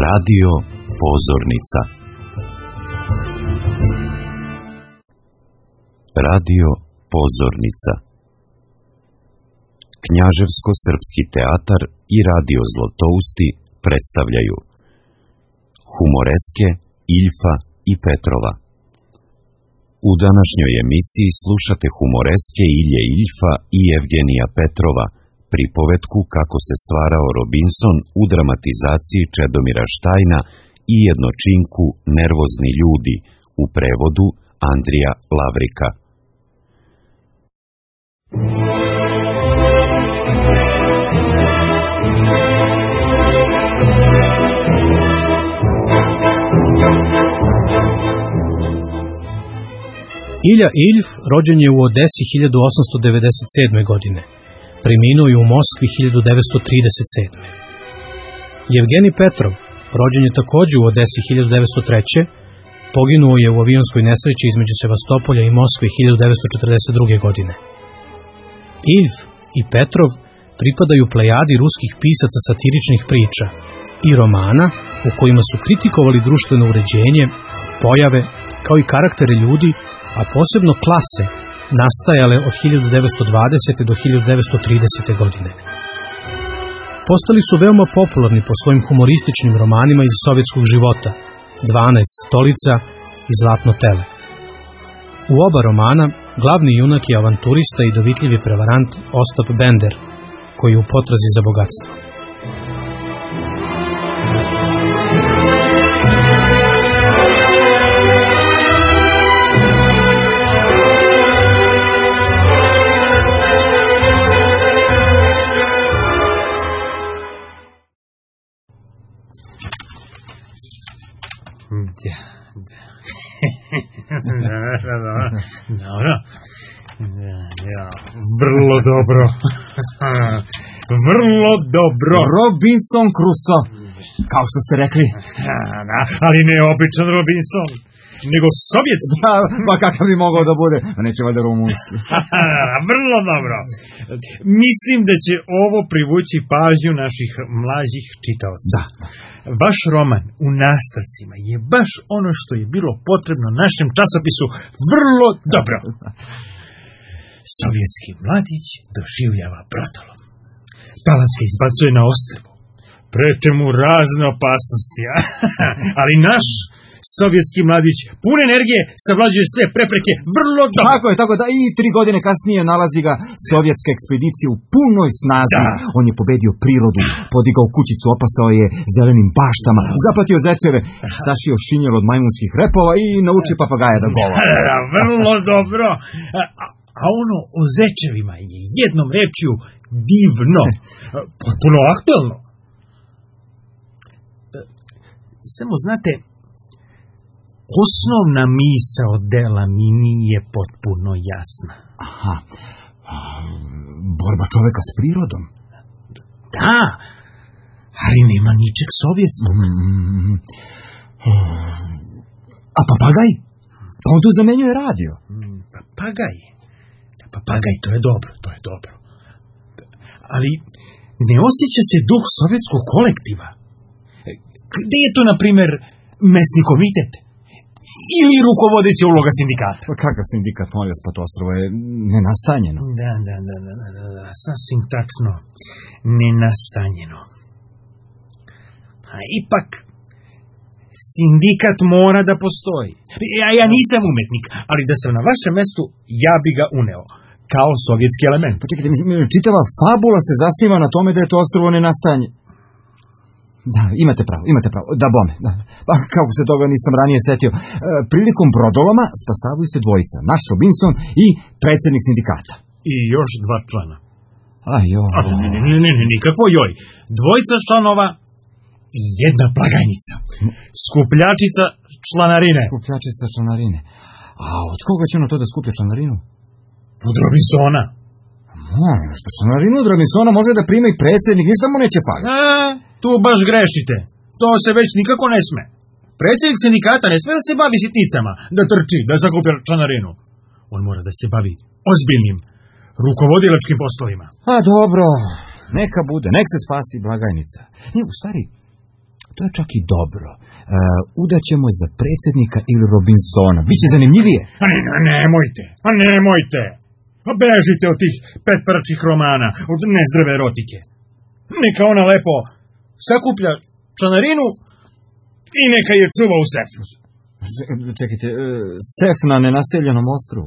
Radio Pozornica. Radio Pozornica. Knjaževsko-srpski teatar i radio Zlotousti predstavljaju Humoreske Iljfa i Petrova. U današnjoj emisiji slušate humoreske Ilje Iljfa i Evgenija Petrova, pripovetku kako se stvarao Robinson u dramatizaciji Čedomira Štajna i jednočinku Nervozni ljudi u prevodu Andrija Lavrika. Ilja Iljf rođen je u Odesi 1897. godine. Preminuo je u Moskvi 1937. Evgenij Petrov, rođen je također u Odesi 1903. Poginuo je u avionskoj nesreći između Sevastopolja i Moskve 1942. godine. Iljf i Petrov pripadaju plejadi ruskih pisaca satiričnih priča i romana u kojima su kritikovali društveno uređenje, pojave, kao i karaktere ljudi, a posebno klase, nastajale od 1920. do 1930. godine. Postali su veoma popularni po svojim humorističnim romanima iz sovjetskog života, 12 stolica i Zlatno tele. U oba romana glavni junak je avanturista i dovitljivi prevarant Ostap Bender, koji je u potrazi za bogatstvo. Dobro. Vrlo dobro. Vrlo dobro. Robinson Crusoe, kao što ste rekli. Ali ne običan Robinson, nego sovjetski. Pa kakav bi mogao da bude? Neće valjda rumunski. Vrlo dobro. Mislim da će ovo privući pažnju naših mlađih čitaoca. Da. Vaš roman u nastavcima je baš ono što je bilo potrebno našem časopisu. Vrlo dobro. Sovjetski mladić doživljava brotolom. Palac ga izbacuje na ostrvo. Prete mu razne opasnosti. Ali naš sovjetski mladić pun energije savlađuje sve prepreke vrlo dobro. Tako da i 3 godine kasnije nalazi ga sovjetska ekspedicija u punoj snazi. Da. On je pobedio prirodu, podigao kućicu, opasao je zelenim baštama, zapatio zečeve, sašio šinjel od majmunskih repova i nauči papagaja da govori. Vrlo dobro. A ono o zečevima je jednom rečju divno, potpuno aktuelno. Samo znate, osnovna misao dela mi nije potpuno jasna. Aha, borba čoveka s prirodom. Da, ali nema ničeg sovjetskog. A papagaj? Pa on tu zamenjuje radio. Papagaj, to je dobro. Ali ne osjeća se duh sovjetskog kolektiva. Gde je to, na primjer, mesni komitet? Ili rukovodeća uloga sindikata? Pa kakav sindikat, molim vas, pa to ostrvo je nenastanjeno. Da, sasvim tačno, nenastanjeno. A ipak, sindikat mora da postoji. Ja nisam umetnik, ali da sam na vašem mestu, ja bi ga uneo, kao sovjetski element. Pa čekajte, čitava fabula se zasniva na tome da je to ostrvo nenastanjeno. Da, imate pravo, da bome. Da. Pa kako se toga nisam ranije setio. Prilikom brodoloma spasavaju se dvojica, naš Robinson i predsjednik sindikata. I još 2 člana. Ne, nikakvo joj. 2 članova i 1 blagajnica. Skupljačica članarine. A od koga će ono to da skuplja članarinu? Od Robinsona. Članarinu od Robinsona može da prima i predsjednik, ništa mu neće faliti. Tu baš grešite. To se već nikako ne sme. Predsjednik sindikata ne sme da se bavi sitnicama, da trči, da sakuplja članarinu. On mora da se bavi ozbiljnim, rukovodilačkim poslovima. A dobro, neka bude, nek se spasi blagajnica. U stvari, to je čak i dobro. Udaćemo je za predsjednika ili Robinsona. Biće zanimljivije. Nemojte. Bežite od tih petparačih romana, od nezdrave erotike. Neka ona lepo sakuplja članarinu i neka je čuva u sefu. Čekajte, sef na nenaseljenom ostrvu.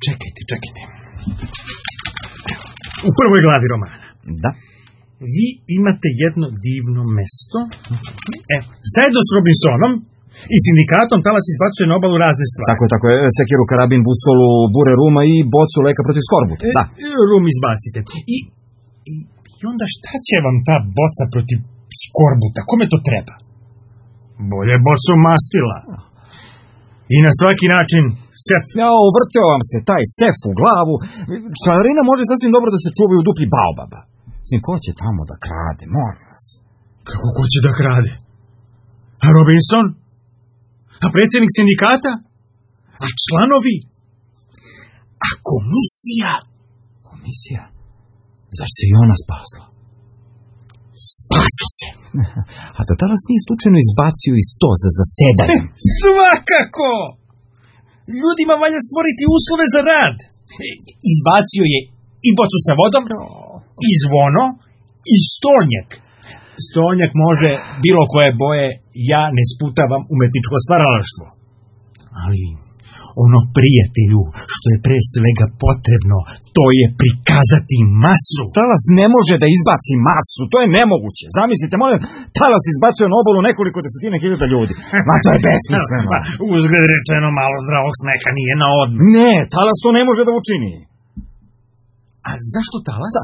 Čekajte. U prvoj glavi romana. Da. Vi imate jedno divno mesto. Zajedno s Robinsonom i sindikatom Talas izbacuje na obalu razne stvari. Tako je, sekiru, karabin, busolu, bure ruma i bocu leka protiv skorbuta. Da. Rum izbacite. I onda šta će vam ta boca protiv skorbuta? Kome to treba? Bolje bocu mastila. I na svaki način sef. Uvrteo vam se taj sef u glavu. Članarina može sasvim dobro da se čuvaju u dupli baobaba. Ko će tamo da krade, molim vas. Kako ko će da krade? A Robinson? A predsjednik sindikata? A članovi? A komisija? Komisija? Zar se i ona spasla? Spasla se. A da Talas nije slučajno izbacio iz sto za zasedanje? Svakako! Ljudima valja stvoriti uslove za rad. Izbacio je i bocu sa vodom, i zvono, i stolnjak. Stolnjak može bilo koje boje, ja ne sputavam umetničko stvaralaštvo. Ali ono, prijatelju, što je pre svega potrebno, to je prikazati masu. Talas ne može da izbaci masu, to je nemoguće. Zamislite, molim, Talas izbacuje na obalu nekoliko desetina hiljada ljudi. Ma to je besmisleno. Uzgled rečeno, malo zdravog smeha nije na odmah. Ne, Talas to ne može da učini. A zašto Talas?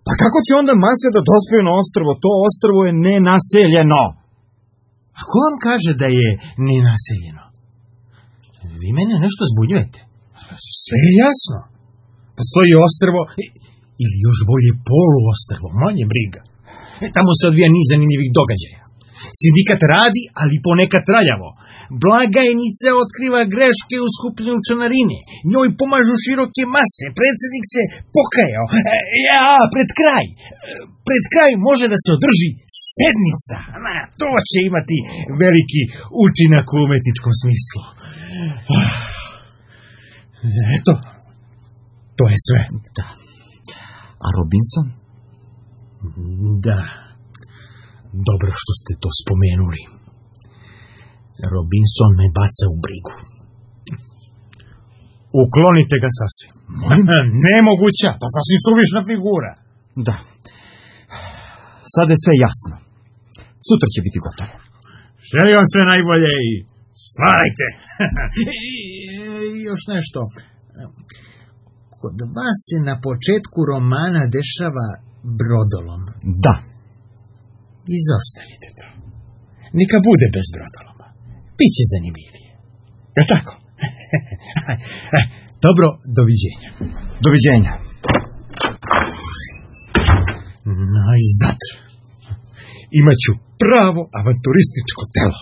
Pa kako će onda mase da dospiju na ostrvo? To ostrvo je nenaseljeno. A ko vam kaže da je nenaseljeno? Vi mene nešto zbunjujete. Sve je jasno. Postoji ostrvo, ili još bolje poluostrvo, manje briga. Tamo se odvija niz zanimljivih događaja. Sindikat radi, ali ponekad traljavo. Blagajnica otkriva greške u skupljenju članarine. Njoj pomažu široke mase. Predsjednik se pokajao. Pred kraj može da se održi sednica. To će imati veliki učinak u umetničkom smislu. Eto, to je sve. Da. A Robinson? Da. Dobro što ste to spomenuli. Robinson me baca u brigu. Uklonite ga sasvim. Nemoguća, pa sasvim suvišna figura. Da. Sad je sve jasno. Sutra će biti gotovo. Želim vam sve najbolje i stvarajte. I još nešto. Kod vas se na početku romana dešava brodolom. Da. Izostavite to. Neka bude bez brodoloma. Biće zanimljivije. Je tako? Dobro, doviđenja. Doviđenja. Najzad. Imaću pravo avanturističko telo.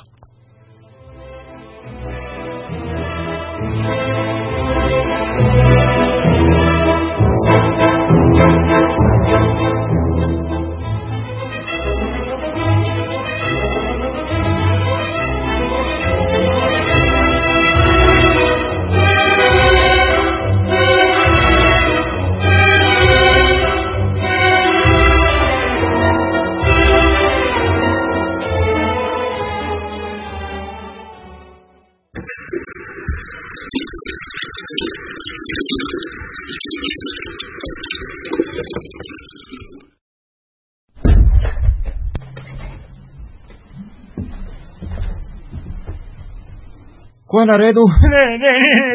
Ko je na redu? Ne,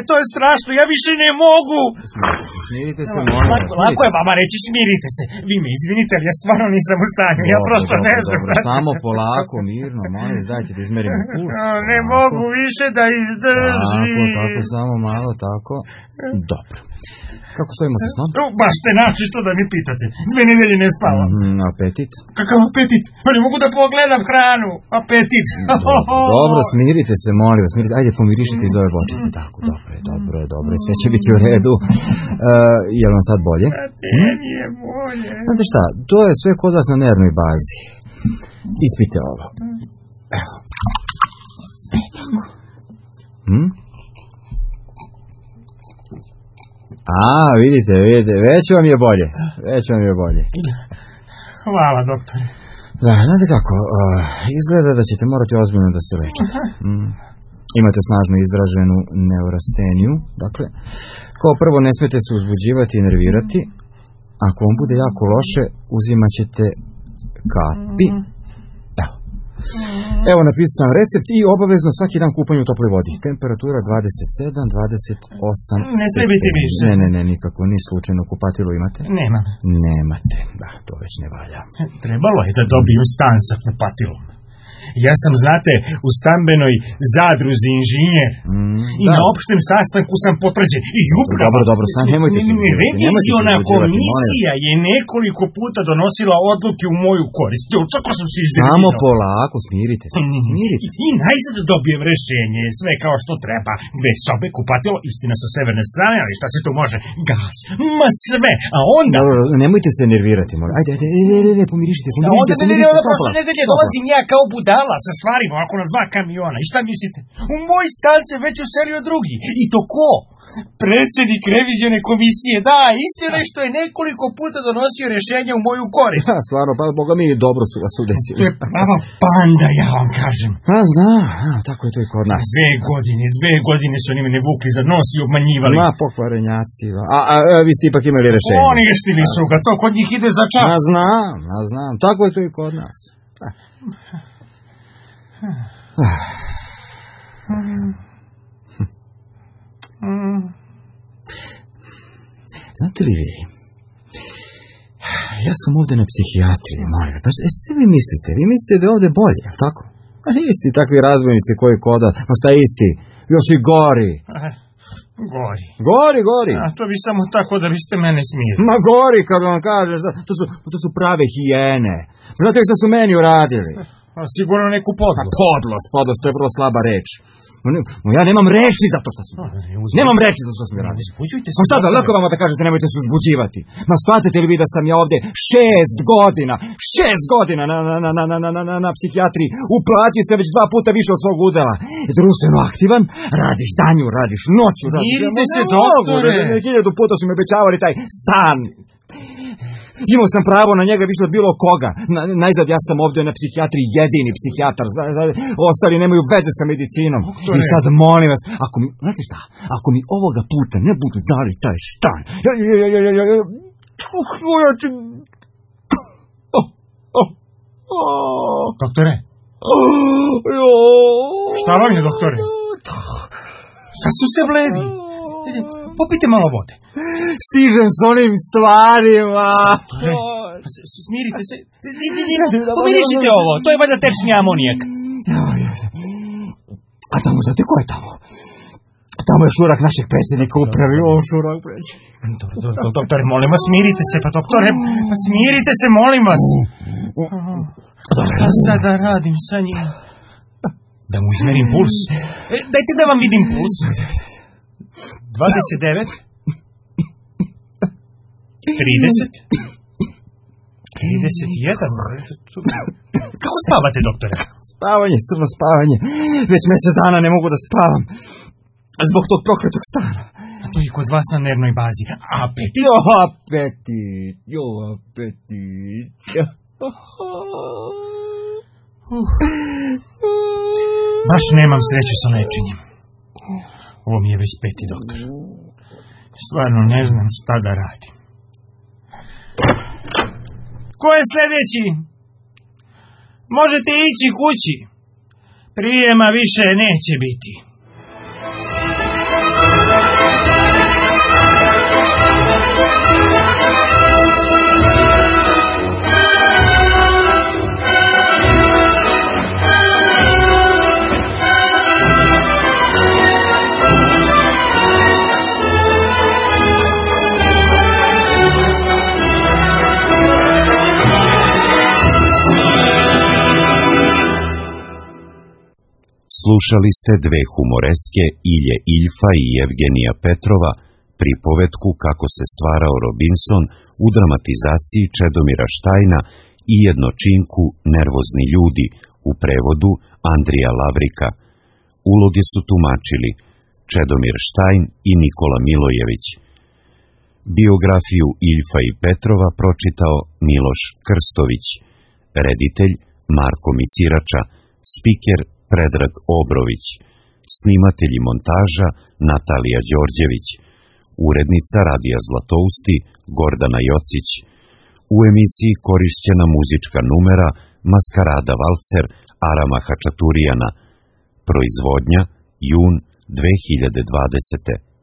to je strašno, ja više ne mogu. Smirite se, molim vas. Lako je vama reći, smirite se. Vi me izvinite, ali ja stvarno nisam u stanju. Ja prosto ne znam. Samo polako, mirno, molim, dajte da izmerimo puls. Ne mogu više da izdržim. Tako, samo malo, tako. Dobro. Kako stojimo sa snom? Baš ste načisto da mi pitate. 2 nedelje ne spavam. Apetit? Kakav apetit? Pa ne mogu da pogledam hranu. Apetit. Dobro, smirite se, molim vas. Ajde, pomirišite iz ove bočice. Tako, dobro. Sve će biti u redu. Je li vam sad bolje? Nije bolje. Znate šta, to je sve kod vas na nervnoj bazi. Ispite ovo. Evo. Vidite, već vam je bolje. Hvala, doktore. Da, znate kako, izgleda da ćete morati ozbiljno da se lečite. Imate snažno izraženu neurasteniju, dakle, kao prvo ne smete se uzbuđivati i nervirati, ako vam bude jako loše, uzimat ćete kapi. Evo, napisao sam recept i obavezno svaki dan kupanje u toploj vodi. Temperatura 27, 28... Ne sve biti više. Ne, nikako. Ni slučajno kupatilo imate? Nemam. Nemate. Da, to već ne valja. Trebalo je da dobijem stan sa kupatilom. Ja sam, znate, u stambenoj zadruzi inženjer. I na opštem sastanku sam potvrđen. I upravo... Dobro, sad nemojte se... Reviziona komisija je nekoliko puta donosila odluke u moju korist. Čako sam se izredio. Samo polako, smirite se. I najzad dobijem rešenje, sve kao što treba. 2 sobe, kupatilo, istina sa severne strane, ali šta se tu može? Gas. Ma sve. A onda... Dobro, nemojte se nervirati, molim. Ajde, pomirišite se. A onda prošle nedelje dolazim ja kao budala sa stvarima ovako na 2 kamiona. I šta mislite? U moj stan se već uselio drugi. I to ko? Predsjednik revizione komisije. Da, istina što je nekoliko puta donosio rješenja u moju korist. Da, stvarno, pa Boga mi dobro su vas udesili. To je prava panda, ja vam kažem. Znam, tako je to i kod nas. 2 godine su oni mene vukli za nos i obmanjivali. Ma, pokvarenjaci. Vi ste ipak imali rješenje. Oni ještili su ga, to kod njih ide za čas. Znam, tako je to i kod nas. Znate li vi, ja sam ovdje na psihijatriji, molim. Pa što vi mislite? Vi mislite da je ovdje bolje, ali tako? A isti takvi razbojnici koji koda, ma šta isti, još i gori. Gori. A to bi samo tako da biste mene smijeli. Ma gori, kad vam kažem, to su prave hijene. Znate što su meni uradili? Sigurno neku podlost. Podlost, to je vrlo slaba reč. Ja nemam reči za to što su. Nemam reči za to što su mi radili. Uzbuđujte se. Pa šta da, lako vama da kažete nemojte se uzbuđivati. Ma shvatite li vi da sam ja ovdje 6 godina na psihijatriji. Uplatio se već 2 puta više od svog udela. Društveno aktivan, radiš danju, radiš noću. Mirite se, doktore. 1000 puta su mi obećavali taj stan. Imao sam pravo na njega više od bilo koga. Najzad ja sam ovdje na psihijatriji jedini psihijatar. Ostali nemaju veze sa medicinom. I sad molim vas, ako mi ovoga puta ne budu dali taj stan, Doktore? Šta vam je, doktore? Sasvim ste bledi. Popite malo vode. Stižem s onim stvarima. Smirite se. Pomirišite ovo. To je valjda tečni amonijak. A tamo, znate ko je tamo? Tamo je šurak našeg predsjednika upravi. Šurak predsjednika. Doktore, molim vas, smirite se. Pa doktore, smirite se, molim vas. Šta sad da radim sa njim? Da mu izmerim puls. Dajte da vam vidim puls. 29 30 31. Kako spavate, doktore? Spavanje, crno spavanje. Već mjesec dana ne mogu da spavam. Zbog tog prokletog stana. A to je kod vas na nervnoj bazi. Apetit? Apetit. Baš nemam sreću sa lečenjem. Ovo mi je već 5. doktor. Stvarno ne znam šta da radim. Ko je sljedeći? Možete ići kući. Prijema više neće biti. Slušali ste dve humoreske, Ilje Iljfa i Evgenija Petrova, pripovetku Kako se stvarao Robinson u dramatizaciji Čedomira Štajna i jednočinku Nervozni ljudi u prevodu Andrija Lavrika. Uloge su tumačili Čedomir Štajn i Nikola Milojević. Biografiju Iljfa i Petrova pročitao Miloš Krstović, reditelj Marko Misirača, spiker Predrag Obrović, snimatelj i montaža Natalija Đorđević, urednica Radija Zlatousti Gordana Jocić. U emisiji korišćena muzička numera Maskarada Valcer Arama Hačaturijana. Proizvodnja jun 2020.